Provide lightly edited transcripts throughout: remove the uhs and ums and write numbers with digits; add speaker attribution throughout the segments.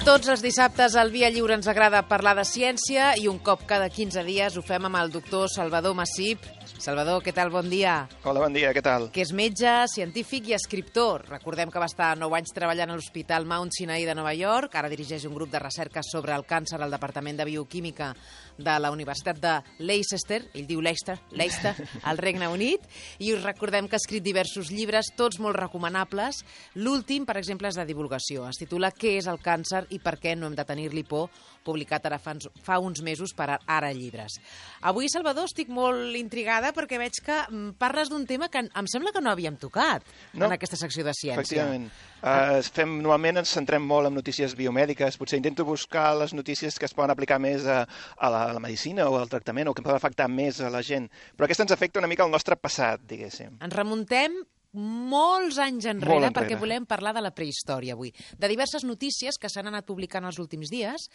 Speaker 1: Tots els dissabtes al Via Lliure ens agrada parlar de ciència i un cop cada 15 dies ho fem amb el doctor Salvador Massip. Salvador, què tal? Bon dia.
Speaker 2: Hola, bon dia, què tal?
Speaker 1: Que és metge, científic i escriptor. Recordem que va estar 9 anys treballant a l'Hospital Mount Sinai de Nova York. Ara dirigeix un grup de recerca sobre el càncer al Departament de Bioquímica de la Universitat de Leicester, ell diu Leicester, al Regne Unit. I us recordem que ha escrit diversos llibres, tots molt recomanables. L'últim, per exemple, és de divulgació. Es titula Què és el càncer i per què no hem de tenir-li por, publicat ara fa uns mesos per Ara Llibres. Avui, Salvador, estic molt intrigada perquè veig que parles d'un tema que em sembla que no havíem tocat en aquesta secció de ciència.
Speaker 2: Efectivament. Normalment ens centrem molt en notícies biomèdiques. Potser intento buscar les notícies que es poden aplicar més a la medicina o al tractament o que poden afectar més a la gent. Però aquesta ens afecta una mica al nostre passat, diguéssim.
Speaker 1: Ens remuntem molts anys enrere, perquè volem parlar de la prehistòria avui, de diverses notícies que s'han anat publicant els últims dies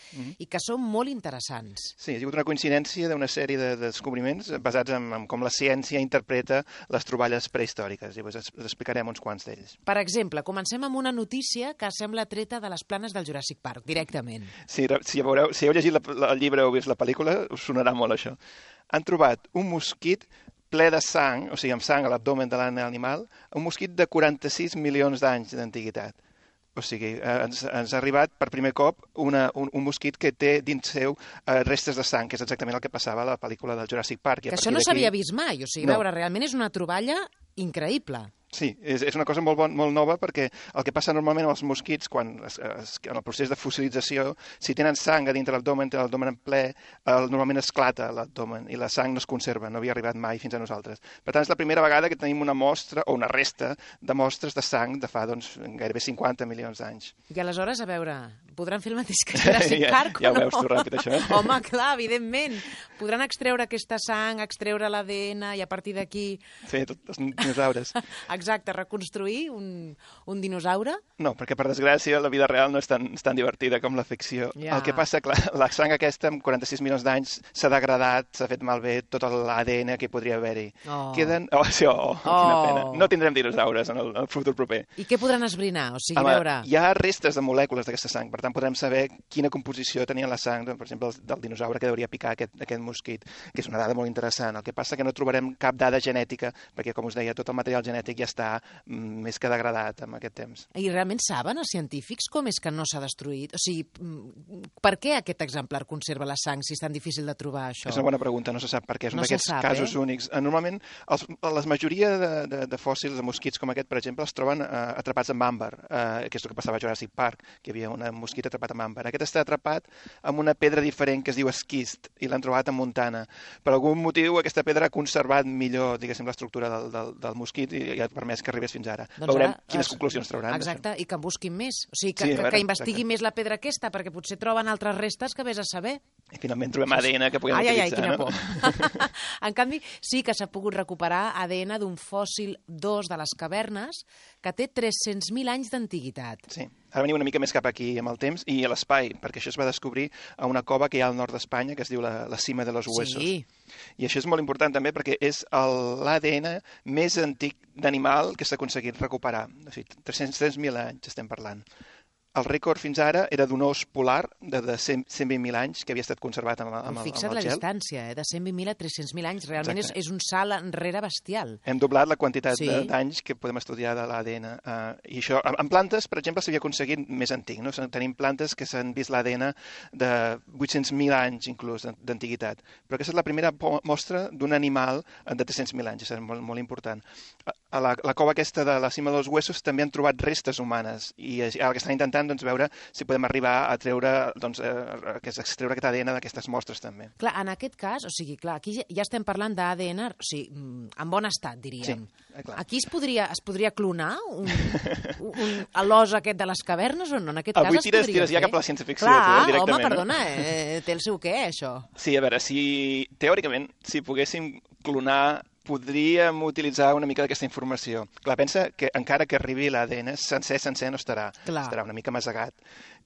Speaker 1: i que són molt interessants.
Speaker 2: Sí, ha sigut una coincidència d'una sèrie de descobriments basats en com la ciència interpreta les troballes prehistòriques. I us explicarem uns quants d'ells.
Speaker 1: Per exemple, comencem amb una notícia que sembla treta de les planes del Jurassic Park, directament.
Speaker 2: Sí, si heu llegit el llibre o vist la pel·lícula, us sonarà molt això. Han trobat un mosquit ple de sang, o sigui, amb sang a l'abdomen de l'animal, un mosquit de 46 milions d'anys d'antiguitat. O sigui, ens ha arribat per primer cop un mosquit que té dins seu restes de sang, que és exactament el que passava a la pel·lícula del Jurassic Park.
Speaker 1: Que això no s'havia vist mai, o sigui, veure, realment és una troballa increïble.
Speaker 2: Sí, és una cosa molt nova perquè el que passa normalment amb els mosquits, quan en el procés de fossilització, si tenen sang a dintre l'abdomen, té l'abdomen en ple, normalment esclata l'abdomen i la sang no es conserva, no havia arribat mai fins a nosaltres. Per tant, és la primera vegada que tenim una mostra o una resta de mostres de sang de fa gairebé 50 milions d'anys.
Speaker 1: I aleshores, a veure, podran fer el mateix que Jurassic Park o no?
Speaker 2: Ja ho veus tu ràpid, això.
Speaker 1: Home, clar, evidentment. Podran extreure aquesta sang, extreure l'ADN i a partir d'aquí...
Speaker 2: Sí, tots els dinosaures.
Speaker 1: Exacte, reconstruir un dinosaure?
Speaker 2: No, perquè per desgràcia la vida real no és tan divertida com la ficció.
Speaker 1: Ja.
Speaker 2: El que passa, clar, la sang aquesta amb 46 milions d'anys s'ha degradat, s'ha fet malbé tot l'ADN que podria haver-hi. Quina pena. No tindrem dinosaures en el futur proper.
Speaker 1: I què podran esbrinar? O sigui, veure...
Speaker 2: Hi ha restes de molècules d'aquesta sang, per tant podrem saber quina composició tenia la sang, per exemple, del dinosaure que hauria picar aquest mosquit, que és una dada molt interessant. El que passa que no trobarem cap dada genètica, perquè, com us deia, tot el material genètic ja està més que degradat amb aquest temps.
Speaker 1: I realment saben els científics com és que no s'ha destruït? O sigui, per què aquest exemplar conserva la sang si és tan difícil de trobar això?
Speaker 2: És una bona pregunta, no se sap per què. És un d'aquests casos únics. Normalment, la majoria de fòssils de mosquits com aquest, per exemple, es troben atrapats amb àmbar, que és el que passava a Jurassic Park, que hi havia un mosquit atrapat amb àmbar. Aquest està atrapat amb una pedra diferent que es diu esquist i l'han trobat a Montana. Per algun motiu, aquesta pedra ha conservat millor, diguéssim, l'estructura del mosquit i ha permès que arribés fins ara.
Speaker 1: Doncs
Speaker 2: veurem quines conclusions trauran.
Speaker 1: Exacte, i que en busquin més. O sigui, que investigui més la pedra aquesta, perquè potser troben altres restes que vés a saber.
Speaker 2: I finalment trobem ADN que puguem utilitzar.
Speaker 1: Quina por. En canvi, sí que s'ha pogut recuperar ADN d'un fòssil d'os de les cavernes que té 300.000 anys d'antiguitat.
Speaker 2: Sí. Ara venim una mica més cap aquí amb el temps i a l'espai, perquè això es va descobrir a una cova que hi ha al nord d'Espanya, que es diu la Cima de los Huesos.
Speaker 1: Sí.
Speaker 2: I això és molt important també perquè és l'ADN més antic d'animal que s'ha aconseguit recuperar. O sigui, 300.000 anys estem parlant. El rècord fins ara era d'un os polar de 120.000 anys que havia estat conservat amb el gel.
Speaker 1: Fixa't la distància, de 120.000 a 300.000 anys. Realment és un salt enrere bestial.
Speaker 2: Hem doblat la quantitat d'anys que podem estudiar de l'ADN. I això, en plantes, per exemple, s'havia aconseguit més antic. No? Tenim plantes que s'han vist l'ADN de 800.000 anys, inclús, d'antiguitat. Però aquesta és la primera mostra d'un animal de 300.000 anys. És molt, molt important. A la cova aquesta de la Cima dels Huesos també han trobat restes humanes. I ara que estan intentant veure si podem arribar a treure, extreure aquest ADN d'aquestes mostres també.
Speaker 1: Clar, en aquest cas, o sigui, clar, aquí ja estem parlant d'ADN, o sigui, en bon estat, diríem.
Speaker 2: Sí, clar.
Speaker 1: Aquí es podria clonar l'os aquest de les cavernes o no? En aquest cas es podria
Speaker 2: tires ja cap a la ciència-ficció.
Speaker 1: Clar,
Speaker 2: directament.
Speaker 1: Home, perdona, té el seu què, això?
Speaker 2: Sí, a veure, teòricament, si poguéssim clonar podríem utilitzar una mica d'aquesta informació. Clar, pensa que encara que arribi l'ADN sencer no estarà. Estarà una mica masegat.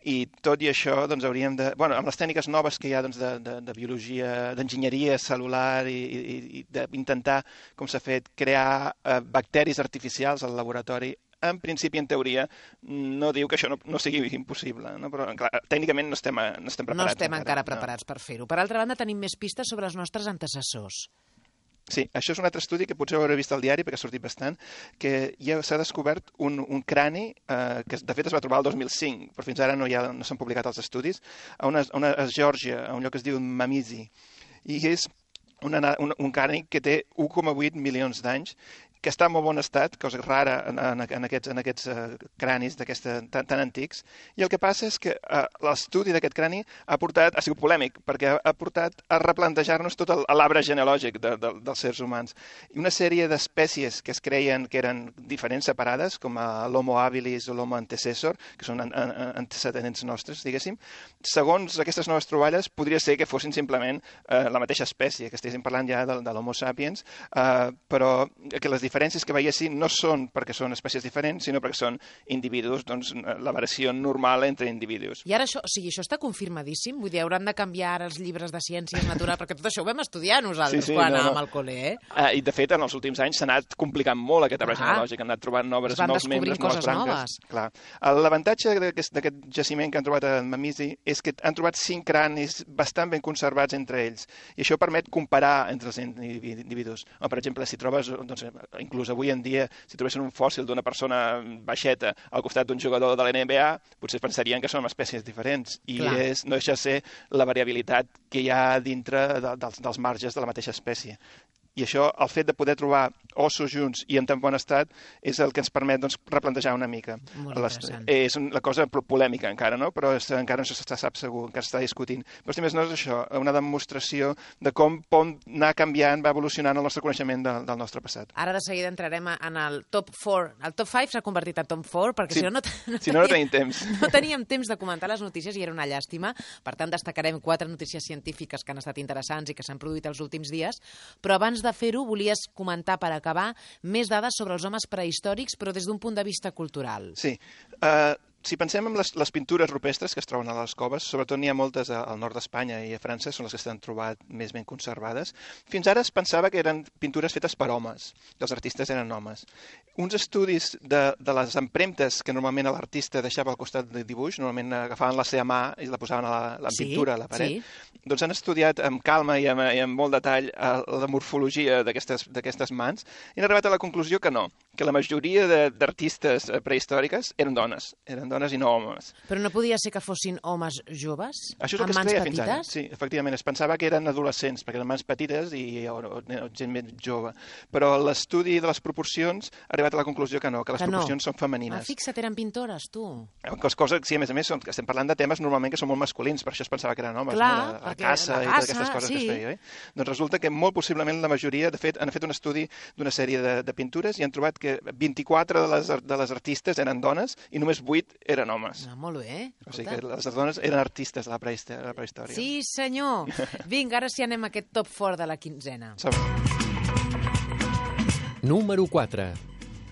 Speaker 2: I tot i això, doncs, hauríem de... Bueno, amb les tècniques noves que hi ha doncs, de biologia, d'enginyeria celular i d'intentar, com s'ha fet, crear bacteris artificials al laboratori, en principi, en teoria, no diu que això no sigui impossible, no? Però, clar, tècnicament no estem preparats.
Speaker 1: No estem encara preparats per fer-ho. Per altra banda, tenim més pistes sobre els nostres antecessors.
Speaker 2: Sí, això és un altre estudi que potser hauré vist al diari, perquè ha sortit bastant, que ja s'ha descobert un crani que, de fet, es va trobar el 2005, però fins ara no s'han publicat els estudis, a Geòrgia, a un lloc que es diu Mamizi. I és un crani que té 1,8 milions d'anys, que està en molt bon estat, cosa rara en aquests cranis tan antics, i el que passa és que l'estudi d'aquest crani ha sigut polèmic, perquè ha portat a replantejar-nos tot l'arbre genealògic dels sers humans. I una sèrie d'espècies que es creien que eren diferents, separades, com l'Homo habilis o l'Homo antecessor, que són antecedents nostres, diguéssim, segons aquestes noves troballes, podria ser que fossin simplement la mateixa espècie, que estiguéssim parlant ja de l'Homo sapiens, però que les diferències que veiessin no són perquè són espècies diferents, sinó perquè són individus, doncs la variació normal entre individus.
Speaker 1: I ara això està confirmadíssim? Vull dir, hauran de canviar ara els llibres de ciències naturals, perquè tot això ho vam estudiar nosaltres quan anàvem al col·le,
Speaker 2: I de fet, en els últims anys s'ha anat complicant molt aquest arbre genealògic, han anat trobant nous membres, noves branques. Clar. L'avantatge d'aquest jaciment que han trobat a Mamizi és que han trobat 5 cranis bastant ben conservats entre ells, i això permet comparar entre els individus. Per exemple, si trobes, inclús avui en dia, si trobessin un fòssil d'una persona baixeta al costat d'un jugador de la NBA, potser pensarien que són espècies diferents. I no deixa de ser la variabilitat que hi ha dintre dels marges de la mateixa espècie. I això, el fet de poder trobar ossos junts i en tan bon estat, és el que ens permet replantejar una mica.
Speaker 1: Molt interessant.
Speaker 2: És una cosa polèmica encara, no? Però encara no se sap segur, encara s'està discutint. Però si més no és això, una demostració de com pot anar canviant, va evolucionant el nostre coneixement del nostre passat.
Speaker 1: Ara de seguida entrarem en el top 4. El top 5 s'ha convertit en top 4, perquè si no
Speaker 2: tenim temps.
Speaker 1: No teníem temps de comentar les notícies i era una llàstima. Per tant, destacarem 4 notícies científiques que han estat interessants i que s'han produït els últims dies. Però abans de fer-ho, volies comentar, per acabar, més dades sobre els homes prehistòrics, però des d'un punt de vista cultural.
Speaker 2: Sí. Si pensem en les pintures rupestres que es troben a les coves, sobretot n'hi ha moltes al nord d'Espanya i a França, són les que s'han trobat més ben conservades. Fins ara es pensava que eren pintures fetes per homes, que els artistes eren homes. Uns estudis de les empremtes que normalment l'artista deixava al costat del dibuix, normalment agafaven la seva mà i la posaven a la pintura, a la paret, doncs han estudiat amb calma i amb molt detall la morfologia d'aquestes mans i han arribat a la conclusió que no, que la majoria d'artistes prehistòriques eren dones i no homes.
Speaker 1: Però no podia ser que fossin homes joves?
Speaker 2: Això és el que es creia fins ara. Sí, efectivament, es pensava que eren adolescents, perquè eren mans petites i gent més jove. Però l'estudi de les proporcions ha arribat a la conclusió que no, que les proporcions són femenines.
Speaker 1: Fixa't, eren pintores, tu.
Speaker 2: Sí, a més, estem parlant de temes normalment que són molt masculins, per això es pensava que eren homes, la caça i totes aquestes coses que es feia. Doncs resulta que molt possiblement la majoria, de fet, han fet un estudi d'una sèrie de pintures i han trobat que 24 de les artistes eren dones i només 8 eren homes.
Speaker 1: Molt bé.
Speaker 2: O sigui que les dones eren artistes a la prehistòria.
Speaker 1: Sí, senyor. Vinga, ara sí anem a aquest top 4 de la quinzena.
Speaker 3: Número 4.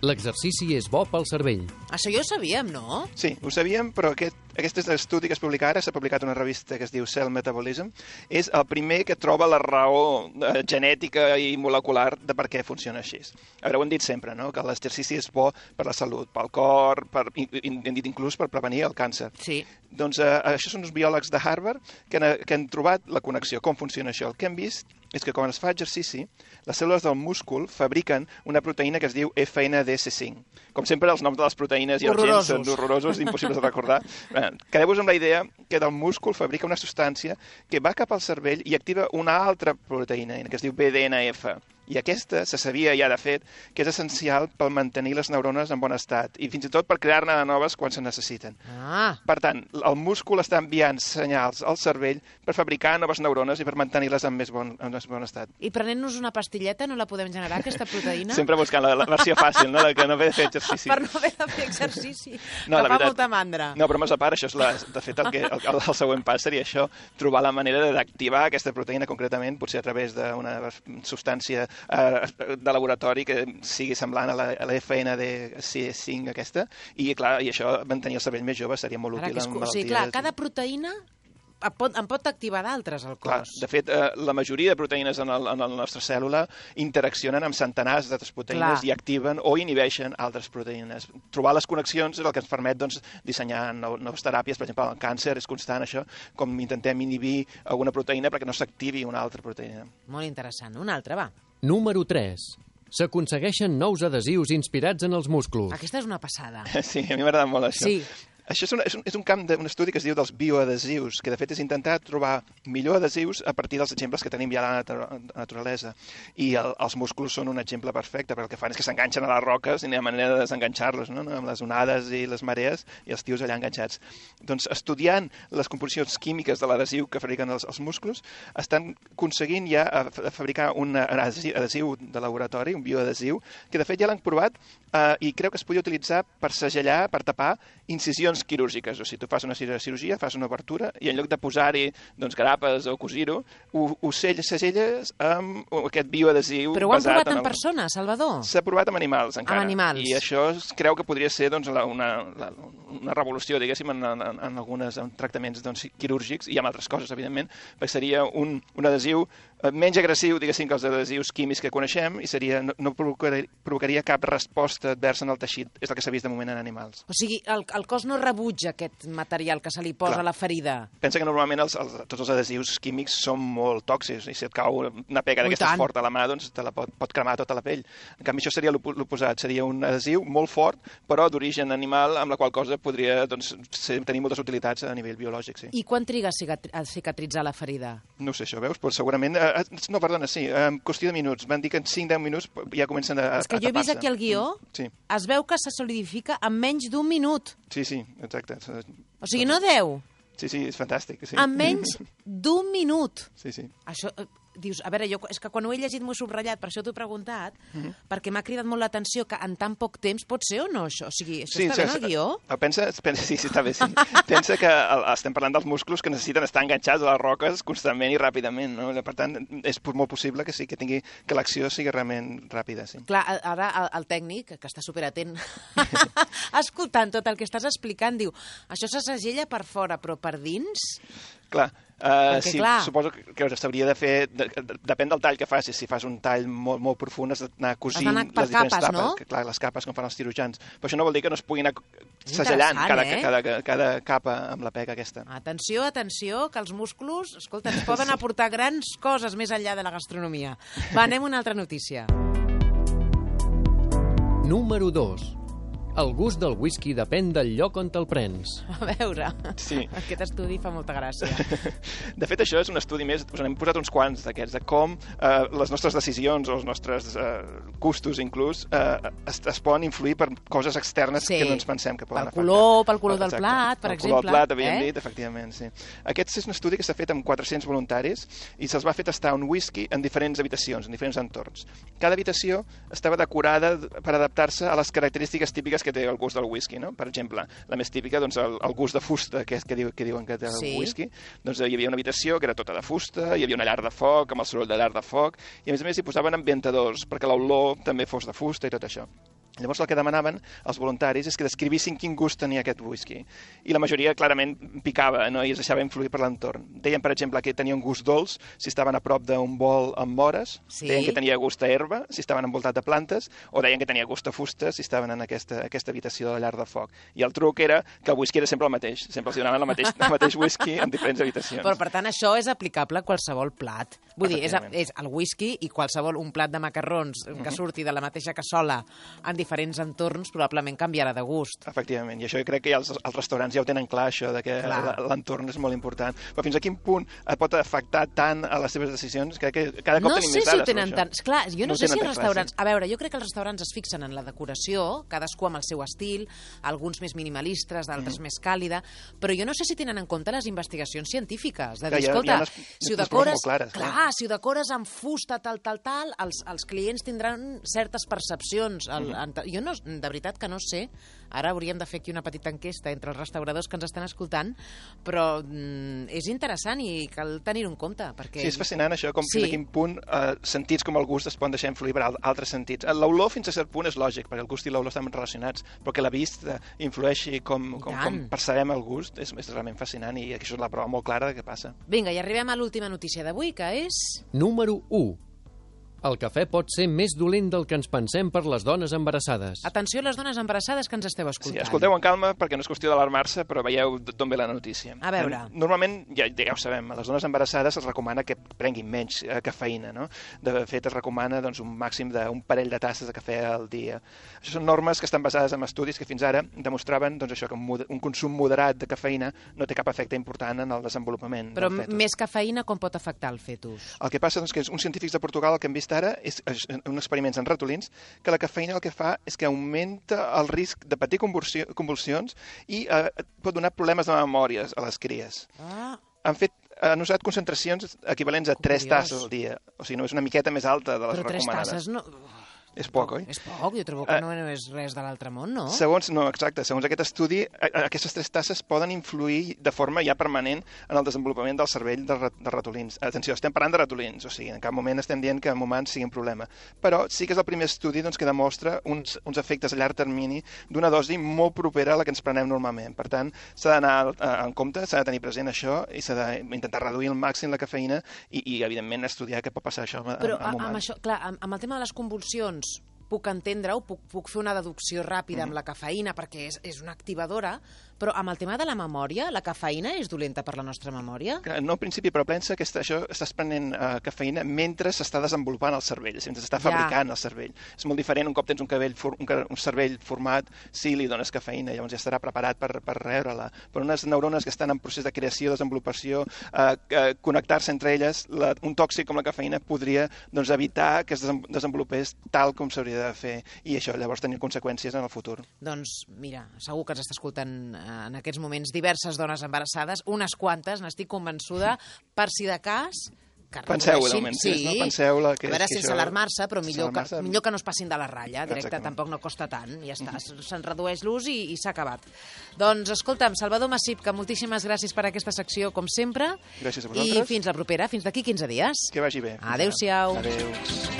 Speaker 3: L'exercici és bo pel cervell.
Speaker 1: Això ja ho sabíem, no?
Speaker 2: Sí, ho sabíem, però aquest estudi que es publica ara, s'ha publicat una revista que es diu Cell Metabolism, és el primer que troba la raó genètica i molecular de per què funciona així. A veure, ho hem dit sempre, no? Que l'exercici és bo per la salut, pel cor, hem dit inclús per prevenir el càncer.
Speaker 1: Sí.
Speaker 2: Doncs això són uns biòlegs de Harvard que han trobat la connexió, com funciona això. El que hem vist és que quan es fa exercici, les cèl·lules del múscul fabriquen una proteïna que es diu FNDC5. Com sempre, els noms de les proteïnes i els gens són horrorosos, impossibles de recordar. Quedeu-vos amb la idea que del múscul fabrica una substància que va cap al cervell i activa una altra proteïna, que es diu BDNF. I aquesta se sabia ja, de fet, que és essencial per mantenir les neurones en bon estat i fins i tot per crear-ne de noves quan se necessiten. Per tant, el múscul està enviant senyals al cervell per fabricar noves neurones i per mantenir-les en més bon estat.
Speaker 1: I prenent-nos una pastilleta no la podem generar, aquesta proteïna?
Speaker 2: Sempre buscant la versió fàcil, no? De que no haver de fer exercici.
Speaker 1: Per no haver de fer exercici. No, que fa molta mandra.
Speaker 2: No, però més a part, això és de fet, el següent pas seria això, trobar la manera d'activar aquesta proteïna concretament, potser a través d'una substància de laboratori que sigui semblant a la FNDC5 aquesta, i clar, i això mantenir el cervell més jove seria molt útil en malalties.
Speaker 1: O sigui, clar, cada proteïna en pot activar d'altres al
Speaker 2: Clar,
Speaker 1: cos.
Speaker 2: de fet, la majoria de proteïnes en la nostra cèl·lula interaccionen amb centenars d'altres proteïnes i activen o inhibeixen altres proteïnes. Trobar les connexions és el que ens permet dissenyar noves teràpies. Per exemple, el càncer és constant això, com intentem inhibir alguna proteïna perquè no s'activi una altra proteïna.
Speaker 1: Molt interessant. Una altra, va.
Speaker 3: Número 3. S'aconsegueixen nous adhesius inspirats en els músculs.
Speaker 1: Aquesta és una passada.
Speaker 2: Sí, a mi m'agrada molt això.
Speaker 1: Sí.
Speaker 2: Això és un camp d'un estudi que es diu dels bioadhesius, que de fet és intentar trobar millor adhesius a partir dels exemples que tenim ja a la naturalesa. I els músculs són un exemple perfecte, perquè el que fan és que s'enganxen a les roques i no hi ha manera de desenganxar-los, no? Amb les onades i les marees i els tios allà enganxats. Doncs estudiant les composicions químiques de l'adhesiu que fabriquen els músculs, estan aconseguint ja fabricar un adhesiu de laboratori, un bioadhesiu, que de fet ja l'han provat i creu que es podia utilitzar per segellar, per tapar incisions quirúrgiques. O sigui, tu fas una cirurgia, fas una obertura i en lloc de posar-hi grapes o cosir-ho, ho segelles amb aquest bioadhesiu.
Speaker 1: Però ho han provat en persona, Salvador?
Speaker 2: S'ha provat amb animals, encara.
Speaker 1: Amb animals.
Speaker 2: I això es creu que podria ser una revolució, diguéssim, en alguns tractaments quirúrgics i amb altres coses, evidentment, perquè seria un adhesiu menys agressiu, diguéssim, que els adhesius químics que coneixem i no provocaria cap resposta adversa en el teixit. És el que s'ha vist de moment en animals.
Speaker 1: O sigui, el cos no rebutja aquest material que se li posa a la ferida.
Speaker 2: Pensa que normalment tots els adhesius químics són molt tòxics i si et cau una pega d'aquestes forta a la mà, doncs te la pot cremar tota la pell. En canvi, això seria l'oposat. Seria un adhesiu molt fort, però d'origen animal, amb la qual cosa podria tenir moltes utilitats a nivell biològic. Sí.
Speaker 1: I quan triga a cicatritzar la ferida?
Speaker 2: No sé, això veus? Però segurament... No, perdona, sí, en qüestió de minuts. Van dir que en 5-10 minuts ja comencen a tapar-se.
Speaker 1: És que jo he vist aquí el guió, es veu que se solidifica en menys d'un minut.
Speaker 2: Sí, exacte.
Speaker 1: O sigui, no 10.
Speaker 2: Sí, és fantàstic.
Speaker 1: En menys d'un minut.
Speaker 2: Sí.
Speaker 1: Això, dius, a veure, és que quan ho he llegit m'ho he subratllat, per això t'ho he preguntat, perquè m'ha cridat molt l'atenció que en tan poc temps pot ser o no, això? O sigui, això està bé en el guió?
Speaker 2: Sí, està bé, sí. Pensa que estem parlant dels músculs que necessiten estar enganxats a les roques constantment i ràpidament, no? Per tant, és molt possible que l'acció sigui realment ràpida, sí.
Speaker 1: Clar, ara el tècnic, que està superatent, escoltant tot el que estàs explicant, diu, això se segella per fora, però per dins...
Speaker 2: Clar, sí, suposo que s'hauria de fer, depèn del tall que facis, si fas un tall molt profund has d'anar cosint les diferents capes, no? Clar, les capes com fan els cirurgians, però això no vol dir que no es puguin anar segellant cada capa amb la pega aquesta.
Speaker 1: Atenció, que els músculs, escolta, ens poden aportar grans coses més enllà de la gastronomia. Va, anem a una altra notícia.
Speaker 3: Número 2. El gust del whisky depèn del lloc on te'l prens.
Speaker 1: A veure, aquest estudi fa molta gràcia.
Speaker 2: De fet, això és un estudi més, us n'hem posat uns quants d'aquests, de com les nostres decisions o els nostres gustos inclús es poden influir per coses externes que no ens pensem que poden afectar.
Speaker 1: Pel color del plat, per exemple.
Speaker 2: El color del plat, havíem dit, efectivament, sí. Aquest és un estudi que s'ha fet amb 400 voluntaris i se'ls va fer tastar un whisky en diferents habitacions, en diferents entorns. Cada habitació estava decorada per adaptar-se a les característiques típiques que té el gust del whisky, no? Per exemple, la més típica, doncs, el gust de fusta, que diuen que té el whisky. Doncs hi havia una habitació que era tota de fusta, hi havia una llar de foc, amb el soroll de llar de foc, i a més hi posaven ambientadors, perquè l'olor també fos de fusta i tot això. Llavors el que demanaven els voluntaris és que descrivissin quin gust tenia aquest whisky. I la majoria clarament picava, no? I es deixava influir per l'entorn. Deien, per exemple, que tenia un gust dolç si estaven a prop d'un bol amb mores, deien que tenia gust a herba si estaven envoltat de plantes, o deien que tenia gust a fusta si estaven en aquesta habitació de la llar de foc. I el truc era que el whisky era sempre el mateix. Sempre els donaven el mateix whisky en diferents habitacions.
Speaker 1: Però, per tant, això és aplicable a qualsevol plat. Vull dir, és el whisky i un plat de macarrons que surti de la mateixa cassola en diferents entorns probablement canviarà de gust.
Speaker 2: Efectivament, i això jo crec que els restaurants ja ho tenen clar, això de que l'entorn és molt important. Però fins a quin punt pot afectar tant a les seves decisions? Crec que cada cop tenim més dades.
Speaker 1: No sé si ho tenen tant. Clar, jo no sé si els restaurants... A veure, jo crec que els restaurants es fixen en la decoració, cadascú amb el seu estil, alguns més minimalistes, d'altres més càlida, però jo no sé si tenen en compte les investigacions científiques. De dir, escolta, si ho decores amb fusta, tal, els clients tindran certes percepcions en Jo no, de veritat que no sé, ara hauríem de fer aquí una petita enquesta entre els restauradors que ens estan escoltant, però és interessant i cal tenir-ho en compte. Perquè...
Speaker 2: Sí, és fascinant això, com fins a quin punt sentits com el gust es poden deixar influir per altres sentits. L'olor fins a cert punt és lògic, perquè el gust i l'olor estan relacionats, però que la vista influeixi com percebem el gust és realment fascinant i això és la prova molt clara de què passa.
Speaker 1: Vinga, i arribem a l'última notícia d'avui, que és...
Speaker 3: Número 1. El cafè pot ser més dolent del que ens pensem per les dones embarassades.
Speaker 1: Atenció a les dones embarassades que ens esteu escoltant.
Speaker 2: Sí, escolteu en calma perquè no és qüestió d'alarmar-se, però veieu d'on ve la notícia.
Speaker 1: A veure.
Speaker 2: Normalment, ja ho sabem, a les dones embarassades es recomana que prenguin menys cafeïna, no? De fet, es recomana un màxim d'un parell de tasses de cafè al dia. Això són normes que estan basades en estudis que fins ara demostraven que un consum moderat de cafeïna no té cap efecte important en el desenvolupament
Speaker 1: però
Speaker 2: del fetus.
Speaker 1: Més cafeïna com pot afectar el fetus?
Speaker 2: El que passa que uns científics de Portugal el que han vist ara és uns experiments en ratolins que la cafeïna el que fa és que augmenta el risc de patir convulsions i pot donar problemes de memòria a les cries. Han usat concentracions equivalents a 3 tasses al dia. O sigui, no és una miqueta més alta de les recomanades.
Speaker 1: Però 3 tasses no...
Speaker 2: És poc, oi?
Speaker 1: És poc, jo trobo que no és res de l'altre món, no?
Speaker 2: Segons aquest estudi, aquestes 3 tasses poden influir de forma ja permanent en el desenvolupament del cervell dels ratolins. Atenció, estem parlant de ratolins, o sigui, en cap moment estem dient que en humans sigui un problema. Però sí que és el primer estudi que demostra uns efectes a llarg termini d'una dosi molt propera a la que ens prenem normalment. Per tant, s'ha d'anar en compte, s'ha de tenir present això i s'ha d'intentar reduir al màxim la cafeïna i evidentment, estudiar què pot passar això en humans.
Speaker 1: Però amb això, clar, amb el tema de les convulsions, puc entendre-ho, puc fer una deducció ràpida amb la cafeïna perquè és una activadora, però amb el tema de la memòria, la cafeïna és dolenta per la nostra memòria?
Speaker 2: No, en principi, però pensa que estàs prenent cafeïna mentre s'està desenvolupant el cervell, mentre s'està fabricant el cervell. És molt diferent un cop tens un cervell format, si li dones cafeïna, llavors ja estarà preparat per rebre-la. Però unes neurones que estan en procés de creació, desenvolupació, connectar-se entre elles, un tòxic com la cafeïna podria evitar que es desenvolupés tal com s'hauria de fer i això llavors tenir conseqüències en el futur.
Speaker 1: Doncs mira, segur que ens està escoltant en aquests moments diverses dones embarassades, unes quantes, n'estic convençuda, per si de cas...
Speaker 2: Penseu-ho, d'almenys, no? Penseu-la que...
Speaker 1: A veure, sense alarmar-se, però millor que no es passin de la ratlla, directe, tampoc no costa tant, ja està, se'n redueix l'ús i s'ha acabat. Doncs, escolta'm, Salvador Massip, que moltíssimes gràcies per aquesta secció, com sempre.
Speaker 2: Gràcies a vosaltres.
Speaker 1: I fins la propera, fins d'aquí 15 dies.
Speaker 2: Que vagi bé.
Speaker 1: Adéu-siau.
Speaker 2: Adéu.